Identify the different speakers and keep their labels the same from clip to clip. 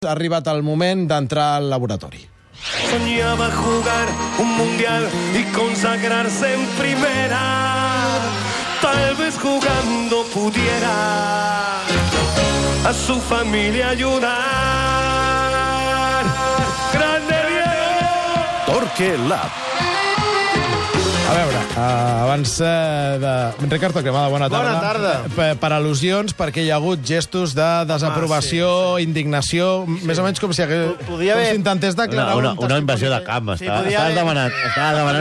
Speaker 1: Ha arribat el moment d'entrar al laboratori.
Speaker 2: Soñaba jugar un mundial y consagrarse en primera. Tal vez jugando pudiera a su familia ayudar. ¡Grande Diego!
Speaker 3: Torque Lab.
Speaker 1: A veure, abans de... Ricard Torquemada, bona tarda.
Speaker 4: Bona tarda.
Speaker 1: Per al·lusions, perquè hi ha hagut gestos de desaprovació, indignació, més o menys com si s'intentés declarar
Speaker 5: una invasió de camp. Estava demanant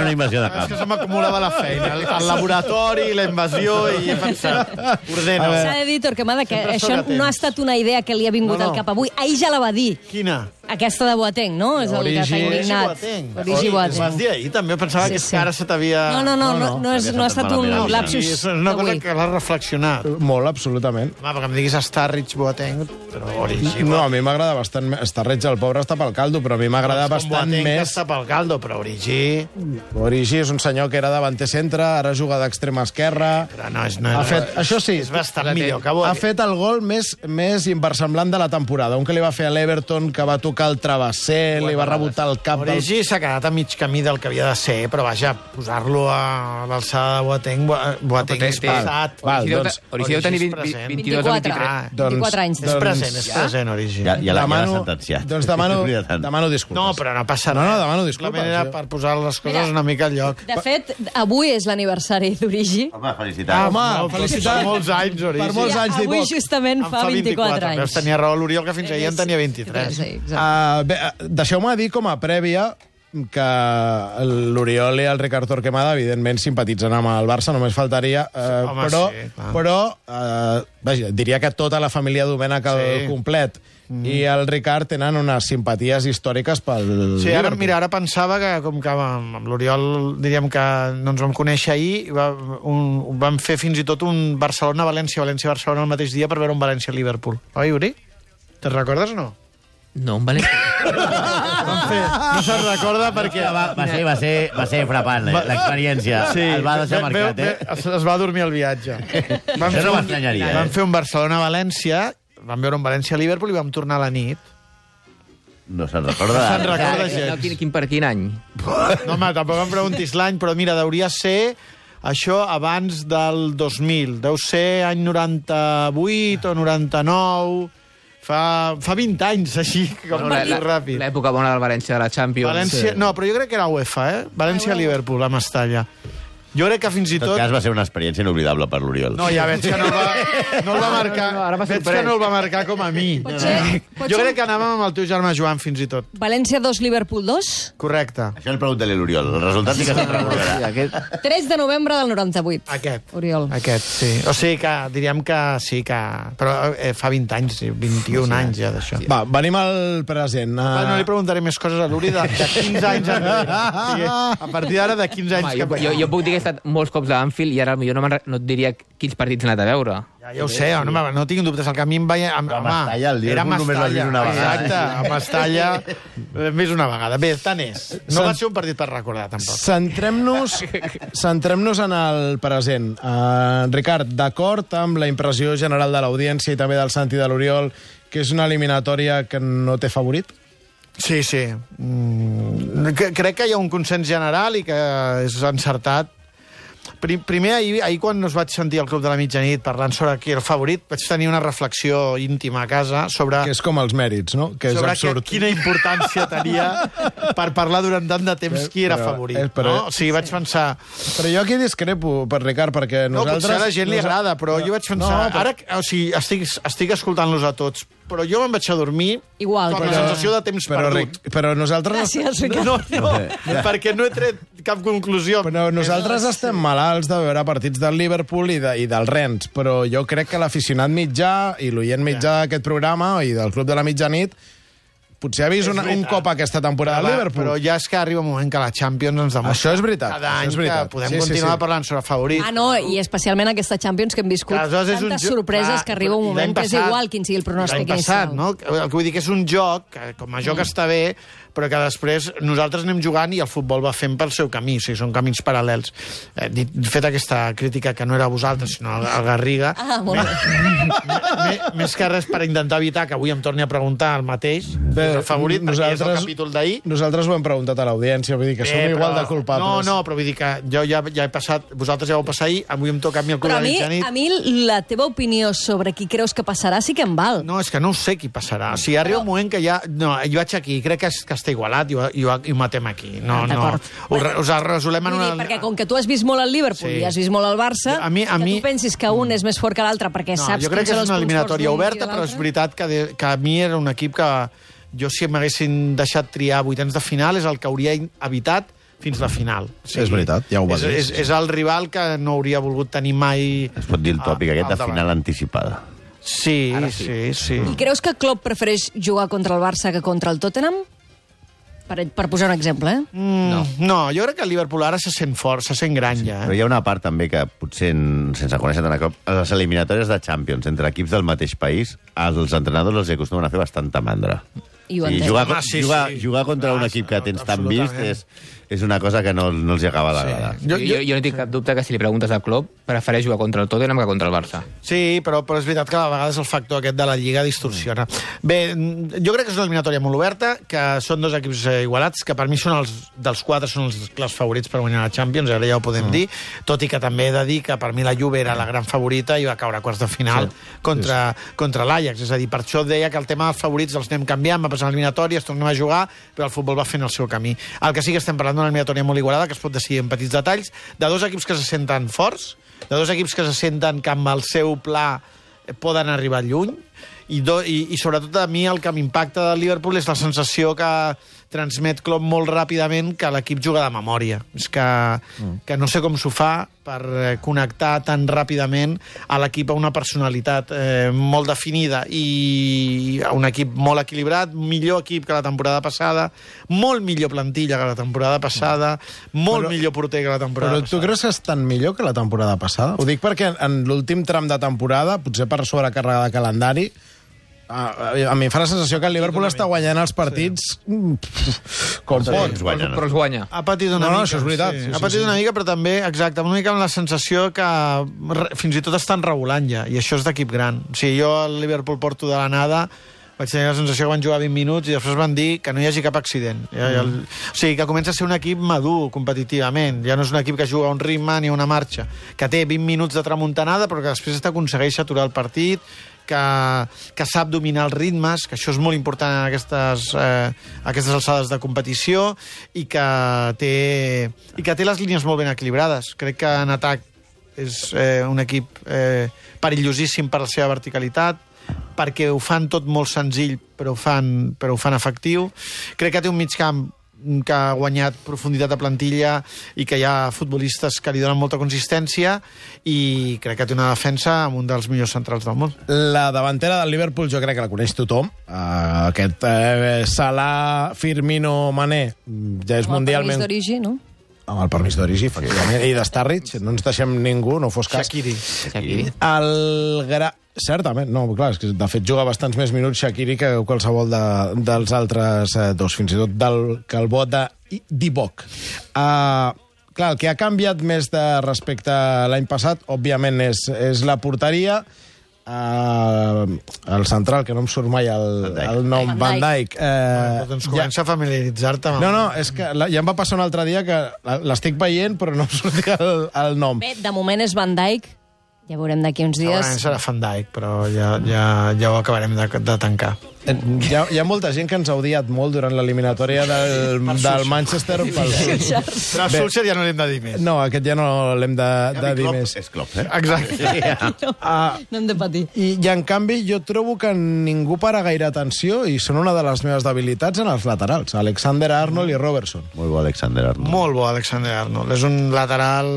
Speaker 5: una invasió de
Speaker 4: És
Speaker 5: camp.
Speaker 4: que se m'acumulava la feina. El laboratori, la invasió, i he pensat, ordena.
Speaker 6: S'ha de dir, Torquemada, que això no ha estat una idea que li ha vingut al cap avui. Ahir ja la va dir.
Speaker 4: Quina?
Speaker 6: Aquesta de Boateng, no? És el que t'ha indignat. Origi
Speaker 4: Ho vas
Speaker 6: Boateng.
Speaker 4: dir ahir, també? Pensava que és que ara se t'havia...
Speaker 6: No ha estat un
Speaker 4: Sí,
Speaker 6: lapsus
Speaker 4: és una cosa
Speaker 6: d'avui.
Speaker 4: que l'has reflexionat.
Speaker 1: Molt, absolutament.
Speaker 4: Home, perquè em diguis Starrich, Boateng, però Origi...
Speaker 1: No, a mi m'agrada bastant... Starrich, el pobre, està pel caldo, però a mi m'agrada bastant
Speaker 4: Boateng, que
Speaker 1: més...
Speaker 4: està pel caldo, però Origi...
Speaker 1: Origi és un senyor que era davanter centre, ara juga d'extrema esquerra...
Speaker 4: Però no és...
Speaker 1: Ha fet, això sí,
Speaker 4: És bastant millor que
Speaker 1: ha
Speaker 4: Boateng.
Speaker 1: fet el gol més inversemblant de la temporada. Un que li va fer a l'Everton, que va tocar el travesser, li va rebotar el cap del...
Speaker 4: Origi s'ha quedat a mig camí del que havia de ser, però vaja, posar-lo a l'alçada de Boateng, Boateng és passat.
Speaker 7: Origi deu tenir 22 o 23.
Speaker 6: 24 anys.
Speaker 4: És present, Origi.
Speaker 5: Ja l'ha sentenciat.
Speaker 1: Doncs demano disculpes.
Speaker 4: No, però no passa
Speaker 1: No,
Speaker 4: res.
Speaker 1: demano disculpes.
Speaker 4: La manera per posar les coses una mica al lloc.
Speaker 6: De fet, avui és l'aniversari d'Origi.
Speaker 5: Home, felicitats.
Speaker 1: Home, felicitats.
Speaker 4: Per molts anys, Origi.
Speaker 1: Per molts anys
Speaker 6: Avui
Speaker 1: d'Ivoc.
Speaker 6: justament
Speaker 4: En
Speaker 6: fa 24
Speaker 4: Veus,
Speaker 6: anys.
Speaker 4: tenia raó l'Oriol, que fins ahir en tenia 23.
Speaker 6: Sí, exacte.
Speaker 1: Bé, deixeu-me dir com a prèvia que l'Oriol i el Ricard Torquemada, evidentment, simpatitzen amb el Barça, només faltaria,
Speaker 4: home, sí, clar.
Speaker 1: però vaja, diria que tota la família Domènech al complet i el Ricard tenen unes simpaties històriques pel
Speaker 4: Sí, ara,
Speaker 1: Liverpool.
Speaker 4: mira, ara pensava que, com que amb l'Oriol diríem que no ens vam conèixer ahir, vam fer fins i tot un Barcelona-València, València-Barcelona el mateix dia per veure un València-Liverpool. Oi, Uri? Te'n recordes o no?
Speaker 7: No, un València.
Speaker 4: No se'n recorda perquè...
Speaker 5: Va ser frapant, l'experiència. El va deixar marcat,
Speaker 4: Es va dormir al viatge.
Speaker 5: Això no m'estranyaria,
Speaker 4: Vam fer un Barcelona-València, vam veure un València-Liverpool i vam tornar a la nit.
Speaker 5: No se'n recorda.
Speaker 4: No se'n recorda
Speaker 7: No,
Speaker 4: gens.
Speaker 7: per quin any?
Speaker 4: No, home, tampoc em preguntis l'any, però mira, hauria ser això abans del 2000. Deu ser any 98 o 99... Fa 20 anys, així, com molt ràpid.
Speaker 7: L'època bona del València de la Champions.
Speaker 4: València, no, però jo crec que era UEFA, València-Liverpool, a Mestalla. Jo crec que fins i
Speaker 5: En tot
Speaker 4: tot...
Speaker 5: cas, va ser una experiència inoblidable per l'Oriol.
Speaker 4: No, ja veig que no el va marcar.
Speaker 7: ara m'ha
Speaker 4: Veig que
Speaker 7: sorprès.
Speaker 4: no el va marcar com a mi. Jo crec que anàvem amb el teu germà Joan, fins i tot.
Speaker 6: València 2, Liverpool 2.
Speaker 4: Correcte.
Speaker 5: Això el pregunta-li a l'Oriol. El resultat sí que se'n recordarà.
Speaker 6: 3 de novembre del 98.
Speaker 4: Oriol. Aquest, sí. O sigui que diríem que sí que... Però fa 20 anys, 21 anys ja d'això.
Speaker 1: Va, venim al present.
Speaker 4: No li preguntaré més coses a l'Uri de 15 anys enrere. O sigui, a partir d'ara, de 15 anys...
Speaker 7: Jo puc dir que he estat molts cops a Anfield i ara potser no et diria quins partits he anat a veure.
Speaker 4: Ja ho sé, no tinc dubtes. El que a mi em veia...
Speaker 5: A Mestalla, el Liverpool només l'has vist una vegada.
Speaker 4: Exacte, a Mestalla més una vegada. Bé, tant és. No va ser un partit per recordar, tampoc.
Speaker 1: Centrem-nos en el present. Ricard, d'acord amb la impressió general de l'audiència i també del Santi i de l'Oriol, que és una eliminatòria que no té favorit?
Speaker 4: Sí. Crec que hi ha un consens general i que és encertat. Primer, ahir quan us vaig sentir al Club de la Mitjanit parlant sobre qui era el favorit, vaig tenir una reflexió íntima a casa sobre...
Speaker 1: Que és com els mèrits, no? Que és absurd.
Speaker 4: Quina importància tenia per parlar durant tant de temps qui era favorit. No? O sigui, vaig pensar...
Speaker 1: Però jo aquí discrepo, per Ricard, perquè nosaltres...
Speaker 4: No, potser a la gent li agrada, però jo vaig pensar... Ara, o sigui, estic escoltant-los a tots, però jo me'n vaig a dormir
Speaker 6: Igual,
Speaker 4: amb la sensació de temps perdut.
Speaker 1: Però nosaltres...
Speaker 6: Gràcies, Ricard.
Speaker 4: No, perquè no he tret cap conclusió.
Speaker 1: Però nosaltres estem malalts de veure partits del Liverpool i del Rennes, però jo crec que l'aficionat mitjà i l'oient mitjà d'aquest programa i del Club de la Mitjanit potser ha vist un cop aquesta temporada al Liverpool.
Speaker 4: Però ja és que arriba un moment que la Champions ens demostra.
Speaker 1: Això és veritat.
Speaker 4: Cada any que podem continuar parlant sobre favorits.
Speaker 6: Ah, no, i especialment aquesta Champions que hem viscut tantes sorpreses que arriba un moment que és igual quin sigui el pronòstic inicial.
Speaker 4: No? El que vull dir que és un joc, que com a joc està bé, però que després nosaltres anem jugant i el futbol va fent pel seu camí, o sigui, són camins paral·lels. Fet aquesta crítica, que no era a vosaltres, sinó al Garriga, més que res per intentar evitar que avui em torni a preguntar el mateix, el favorit, perquè és el capítol d'ahir.
Speaker 1: Nosaltres ho hem preguntat a l'audiència, vull dir que som igual de culpables.
Speaker 4: No, però vull dir que jo ja he passat, vosaltres ja ho passat ahir, avui em toca a mi el club de la nit.
Speaker 6: A mi la teva opinió sobre qui creus que passarà sí que em val.
Speaker 4: No, és que no sé qui passarà. O sigui, arriba un moment que ja... No, jo vaig aquí, crec que està igualat i ho matem aquí. No. Us resolem en una...
Speaker 6: Perquè com que tu has vist molt el Liverpool i has vist molt el Barça, que tu pensis que un és més fort que l'altre perquè saps
Speaker 4: jo crec que és una eliminatòria oberta, però és veritat que a mi era un equip que jo, si m'haguessin deixat triar 8 de final, és el que hauria evitat fins la final.
Speaker 1: Sí, és veritat, ja ho va dir.
Speaker 4: És el rival que no hauria volgut tenir mai...
Speaker 5: Es pot dir el tòpic aquest de final anticipada.
Speaker 4: Sí.
Speaker 6: I creus que Klopp prefereix jugar contra el Barça que contra el Tottenham? Per posar un exemple,
Speaker 4: No, jo crec que el Liverpool ara se sent fort, se sent gran ja.
Speaker 5: Però hi ha una part també que potser, sense conèixer tant a cop, a les eliminatòries de Champions entre equips del mateix país, als entrenadors els acostumen a fer bastanta mandra.
Speaker 6: I ho entenc.
Speaker 5: Jugar contra un equip que tens tan vist és una cosa que no els acaba d'agradar.
Speaker 7: Jo no tinc cap dubte que si li preguntes a Klopp prefereix jugar contra el Tottenham que contra el Barça.
Speaker 4: Sí, però és veritat que a vegades el factor aquest de la Lliga distorsiona. Bé, jo crec que és una eliminatòria molt oberta, que són dos equips igualats, que per mi són dels 4 són els clars favorits per guanyar la Champions, ara ja ho podem dir, tot i que també he de dir que per mi la Juve era la gran favorita i va caure a quarts de final contra l'Ajax. És a dir, per això deia que el tema dels favorits els anem canviant, va passar l'eliminatòria, es tornem a jugar, però el futbol va fent el seu camí. El que sí que estem parlant d'una eliminatòria molt igualada, que es pot decidir en petits detalls, de dos equips que se senten forts, de dos equips que se senten que amb el seu pla poden arribar lluny, i sobretot a mi el que m'impacta del Liverpool és la sensació que transmet Klopp molt ràpidament que l'equip juga de memòria. És que no sé com s'ho fa per connectar tan ràpidament a l'equip a una personalitat molt definida i a un equip molt equilibrat, millor equip que la temporada passada, molt millor plantilla que la temporada passada, millor porter que la temporada passada.
Speaker 1: Però tu creus que estan millor que la temporada passada? Ho dic perquè en l'últim tram de temporada, potser per sobrecàrrega de calendari, a mi em fa la sensació que el Liverpool està guanyant els partits com pot.
Speaker 7: Però els guanya.
Speaker 4: Ha patit una mica.
Speaker 1: Això és veritat.
Speaker 4: Ha patit una mica, però també, exacte, una mica amb la sensació que fins i tot estan regulant ja, i això és d'equip gran. O sigui, jo al Liverpool porto de la nada, vaig tenir la sensació que van jugar 20 minuts i després van dir que no hi hagi cap accident. O sigui, que comença a ser un equip madur competitivament. Ja no és un equip que juga a un ritme ni a una marxa, que té 20 minuts de tramuntanada però que després aconsegueix aturar el partit, que sap dominar els ritmes, que això és molt important en aquestes alçades de competició, i que té les línies molt ben equilibrades. Crec que en atac és un equip perillosíssim per la seva verticalitat, perquè ho fan tot molt senzill, però ho fan efectiu. Crec que té un migcamp que ha guanyat profunditat de plantilla i que hi ha futbolistes que li donen molta consistència, i crec que té una defensa amb un dels millors centrals del món.
Speaker 1: La davantera del Liverpool jo crec que la coneix tothom. Aquest Salah, Firmino, Mané ja és mundialment...
Speaker 6: Amb el permís d'origi, no?
Speaker 1: Amb el permís d'origi, efectivament. I de Starrich, no ens deixem ningú, no fos cas.
Speaker 4: Shaqiri.
Speaker 1: Certament, no, clar, és que de fet juga bastants més minuts Shaqiri que qualsevol dels altres dos, fins i tot que el vot de Divock. Clar, el que ha canviat més respecte a l'any passat, òbviament, és la porteria. El central, que no em surt mai el nom, Van Dijk.
Speaker 4: Doncs comença a familiaritzar-te.
Speaker 1: No, és que ja em va passar un altre dia que l'estic veient però no em sortia el nom.
Speaker 6: Bé, de moment és Van Dijk. Ja veurem d'aquí uns dies.
Speaker 4: Segurament serà Van Dijk, però ja ho acabarem de tancar.
Speaker 1: Hi ha molta gent que ens ha odiat molt durant l'eliminatòria del Manchester pel Solskjaer.
Speaker 4: Però a Solskjaer ja no l'hem de dir més.
Speaker 1: No, aquest ja no l'hem de dir més.
Speaker 5: És Klopp,
Speaker 4: Exacte.
Speaker 6: No hem de patir.
Speaker 1: I en canvi jo trobo que ningú para gaire atenció, i són una de les meves debilitats en els laterals, Alexander-Arnold i Robertson.
Speaker 5: Molt bo Alexander-Arnold.
Speaker 4: Molt bo Alexander-Arnold. És un lateral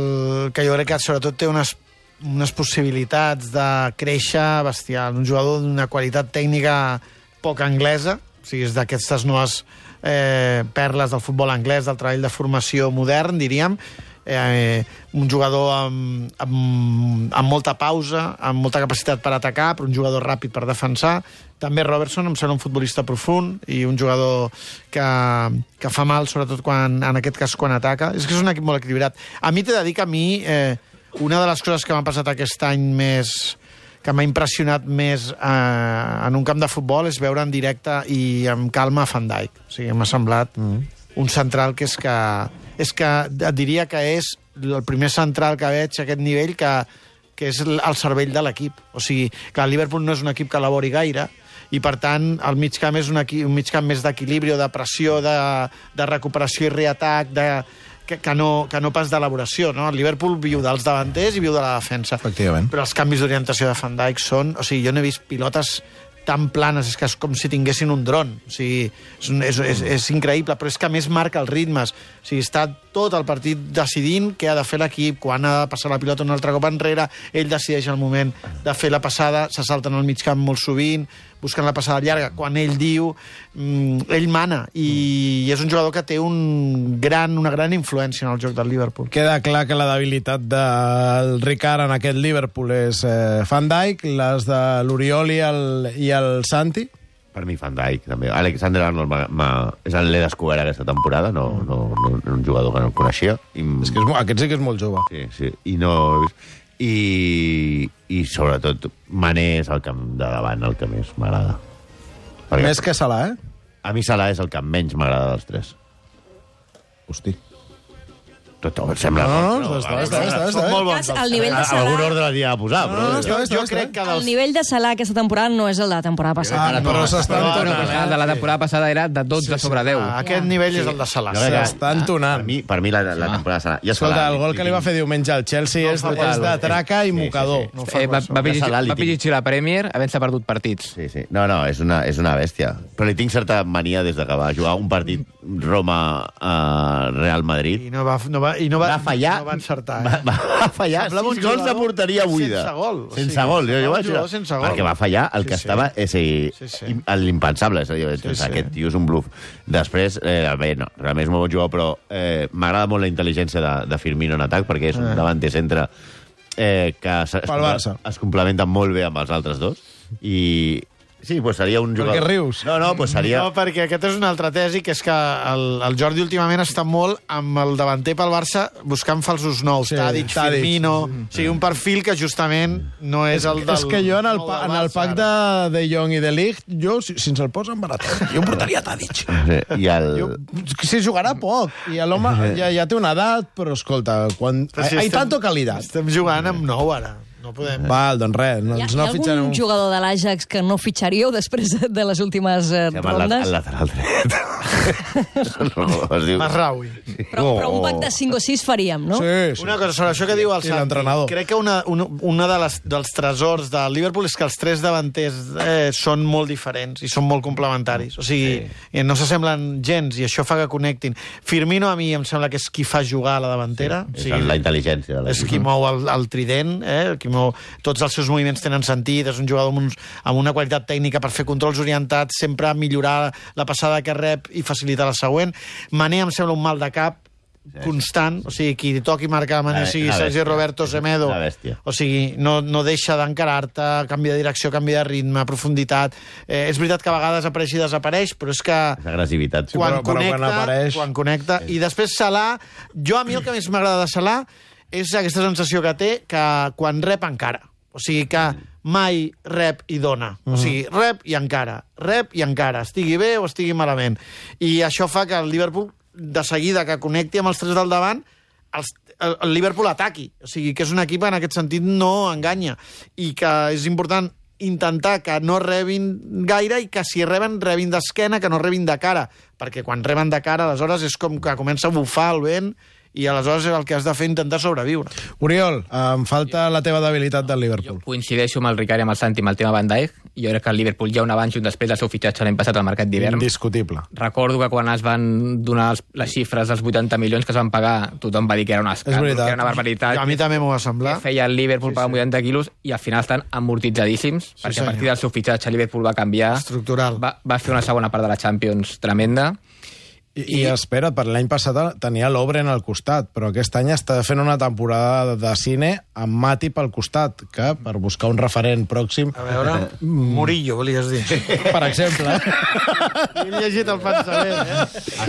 Speaker 4: que jo crec que sobretot té unes possibilitats de créixer bestial. Un jugador d'una qualitat tècnica poc anglesa, O sigui, és d'aquestes noves perles del futbol anglès, del treball de formació modern, diríem. Un jugador amb molta pausa, amb molta capacitat per atacar, però un jugador ràpid per defensar. També Robertson em sembla un futbolista profund i un jugador que fa mal, sobretot en aquest cas quan ataca. És que és un equip molt equilibrat. A mi t'he de dir que una de les coses que m'ha passat aquest any que m'ha impressionat més en un camp de futbol és veure en directe i amb calma Van Dijk. O sigui, m'ha semblat un central que et diria que és el primer central que veig a aquest nivell que és el cervell de l'equip. O sigui, que el Liverpool no és un equip que elabori gaire, i per tant el mig camp és un mig camp més d'equilibri, de pressió, de recuperació i reatac, que no pas d'elaboració, no? El Liverpool viu dels davanters i viu de la defensa.
Speaker 1: Efectivament.
Speaker 4: Però els canvis d'orientació de Van Dijk són... O sigui, jo no he vist pilotes tan planes, és que és com si tinguessin un dron. O sigui, és increïble, però és que a més marca els ritmes. O sigui, està tot el partit decidint què ha de fer l'equip, quan ha de passar la pilota un altre cop enrere, ell decideix el moment de fer la passada, se salten al mig camp molt sovint, busquen la passada llarga, quan ell diu, ell mana, i és un jugador que té una gran influència en el joc del Liverpool.
Speaker 1: Queda clar que la debilitat del Ricard en aquest Liverpool és Van Dijk, les de l'Oriol i el Santi.
Speaker 5: Per mi, Van Dijk, també. Alexander-Arnold l'he descobert aquesta temporada, no un jugador que no el coneixia.
Speaker 1: És que aquest sí que és molt jove.
Speaker 5: Sí, i no... I sobretot, Mané és el camp de davant el que més m'agrada.
Speaker 1: Més que Salah,
Speaker 5: A mi Salah és el que menys m'agrada dels tres.
Speaker 1: Hosti.
Speaker 5: Tot sembla...
Speaker 1: No, està
Speaker 4: molt
Speaker 6: bons. El nivell de Salah...
Speaker 5: Algun ordre l'havia de posar, però...
Speaker 4: Jo crec que
Speaker 6: el nivell de Salah aquesta temporada no és el de la temporada passada.
Speaker 1: Però s'estan tonant.
Speaker 7: El de la temporada passada era de 12 sobre 10.
Speaker 4: Aquest nivell és el de Salah.
Speaker 1: S'estan tonant.
Speaker 5: Per mi la temporada Salah...
Speaker 1: Escolta, el gol que li va fer diumenge al Chelsea és de traca i mocador.
Speaker 7: Va pitjor la Premier havent-se perdut partits.
Speaker 5: Sí. No, és una bèstia. Però li tinc certa mania des que va jugar un partit Roma-Real Madrid.
Speaker 4: I no va
Speaker 5: fallar.
Speaker 4: No va encertar.
Speaker 5: Va fallar 6 gols de porteria buida.
Speaker 4: Sense gol.
Speaker 5: Sense gol.
Speaker 4: Sense gol.
Speaker 5: Perquè va fallar el que estava... l'impensable. Aquest tio és un bluff. Després, realment és molt bon jugador, però m'agrada molt la intel·ligència de Firmino en atac, perquè és un davanter centre que es complementa molt bé amb els altres dos. I... Sí, pues seria un jugador...
Speaker 1: Per què rius?
Speaker 5: No, pues seria...
Speaker 4: No, perquè aquesta és una altra tesi, que és que el Jordi últimament està molt amb el davanter pel Barça buscant falsos nous, Tadic, Firmino... O sigui, un perfil que justament no és el del...
Speaker 1: És que jo en el pack de Jong i de Ligt, jo, si ens el posen barat, jo em portaria Tadic. Si jugarà poc, i l'home ja té una edat, però escolta, hay tanto calidad.
Speaker 4: Estem jugant amb nou, ara. No podem...
Speaker 1: Val, doncs res.
Speaker 6: Hi ha algun jugador de l'Ajax que no fitxaríeu després de les últimes rondes?
Speaker 5: El lateral dret.
Speaker 4: Masraoui.
Speaker 6: Però un pack de 5 o 6 faríem, no?
Speaker 1: Sí.
Speaker 4: Una cosa sobre això que diu el Santi. Crec que una dels tresors del Liverpool és que els tres davanters són molt diferents i són molt complementaris. O sigui, no s'assemblen gens i això fa que connectin. Firmino a mi em sembla que és qui fa jugar a la davantera.
Speaker 5: És la intel·ligència de
Speaker 4: l'equip. És qui mou el trident, tots els seus moviments tenen sentit, és un jugador amb una qualitat tècnica per fer controls orientats, sempre millorar la passada que rep i facilitar la següent. Mané em sembla un mal de cap constant, o sigui, qui toqui marcar Mané sigui Sergi Roberto Semedo, o sigui, no deixa d'encarar-te, canvia de direcció, canvia de ritme, profunditat. És veritat que a vegades apareix i desapareix, però és que
Speaker 5: agressivitat.
Speaker 1: Quan
Speaker 4: connecta. I després Salah, a mi el que més m'agrada de Salah és aquesta sensació que té que quan rep encara. O sigui que mai rep i dona. O sigui, rep i encara, estigui bé o estigui malament. I això fa que el Liverpool, de seguida que connecti amb els tres del davant, el Liverpool ataqui. O sigui, que és un equip en aquest sentit no enganya. I que és important intentar que no rebin gaire i que si rebin d'esquena, que no rebin de cara. Perquè quan reben de cara, aleshores és com que comença a bufar el vent i aleshores el que has de fer intentar sobreviure.
Speaker 1: Oriol, em falta la teva debilitat del Liverpool.
Speaker 7: Jo coincideixo amb el Ricard i amb el Santi amb el tema Van Dijk. Jo crec que el Liverpool hi ha un abans i un després del seu fitxatge l'any passat al mercat d'hivern.
Speaker 1: Indiscutible.
Speaker 7: Recordo que quan es van donar les xifres dels 80 milions que es van pagar, tothom va dir que era un escàndol, que era una barbaritat.
Speaker 4: A mi també m'ho va semblar.
Speaker 7: Que feia el Liverpool pagar 80 quilos i al final estan amortitzadíssims, perquè a partir del seu fitxatge el Liverpool va canviar.
Speaker 4: Estructural.
Speaker 7: Va fer una segona part de la Champions tremenda.
Speaker 1: I espera't, per l'any passat tenia l'Obren al costat, però aquest any està fent una temporada de cine amb Matip al costat, que per buscar un referent pròxim...
Speaker 4: A veure, Murillo, volies dir.
Speaker 1: Per exemple.
Speaker 4: He llegit el pensament,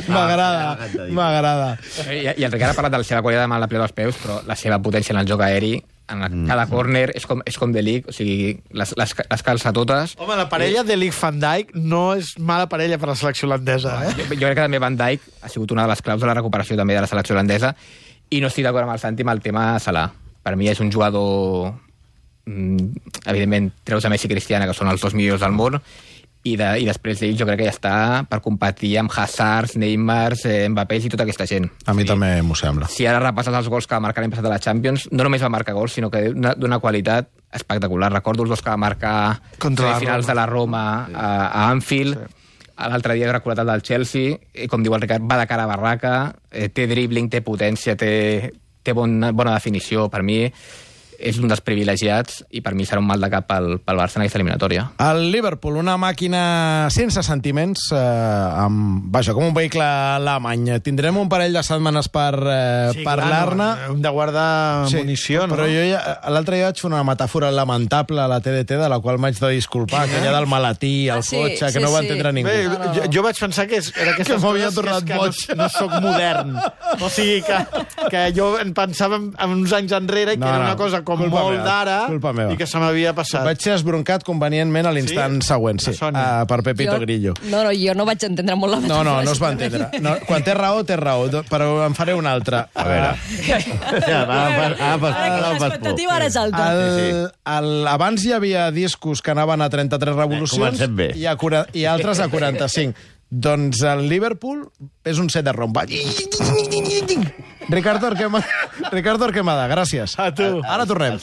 Speaker 1: M'agrada.
Speaker 7: I el Ricard ha parlat de la seva qualitat amb la plena dels peus, però la seva potència en el joc aeri, en cada córner, és com de Ligt, o sigui, les calça totes.
Speaker 4: Home, la parella de Ligt-Van Dijk no és mala parella per la selecció holandesa,
Speaker 7: Jo crec que també Van Dijk ha sigut una de les claus de la recuperació també de la selecció holandesa, i no estic d'acord amb el Santi amb el tema Salah. Per mi és un jugador... evidentment, treus a Messi i Cristiano, que són els dos millors del món, i després d'ells jo crec que ja està per competir amb Hazard, Neymar, Mbappé i tota aquesta gent.
Speaker 1: A mi també m'ho sembla.
Speaker 7: Si ara repasses els gols que va marcar l'any passat a la Champions, no només va marcar gols, sinó que d'una qualitat espectacular. Recordo els gols que va marcar contra finals de la Roma a Anfield. Sí. L'altre dia he recordat el del Chelsea, i com diu el Ricard, va de cara a barraca, té dribbling, té potència, té bona definició. Per mi és un dels privilegiats i per mi serà un mal de cap pel Barça en aquesta eliminatòria.
Speaker 1: El Liverpool, una màquina sense sentiments, com un vehicle alemany. Tindrem un parell de setmanes per parlar-ne.
Speaker 4: Hem de guardar munició, no?
Speaker 1: Però l'altre dia vaig fer una metàfora lamentable a la TDT, de la qual m'haig de disculpar, aquella del malatí, el cotxe, que no va entendre ningú.
Speaker 4: Bé, jo vaig pensar que era aquestes coses que no soc modern. O sigui, que jo pensava en uns anys enrere que era una cosa com molt d'ara i que se m'havia passat.
Speaker 1: Vaig ser esbroncat convenientment a l'instant següent, per Pepito Grillo.
Speaker 6: No, jo no vaig entendre molt la metàfora.
Speaker 1: No es va entendre. Quan té raó, però en faré una altra.
Speaker 5: A veure.
Speaker 6: L'expectativa ara és alta.
Speaker 1: Abans hi havia discos que anaven a 33 revolucions i altres a 45. Doncs el Liverpool és un set de romba. Ricardo Arquemada, gràcies.
Speaker 4: A tu.
Speaker 1: Ara tornem.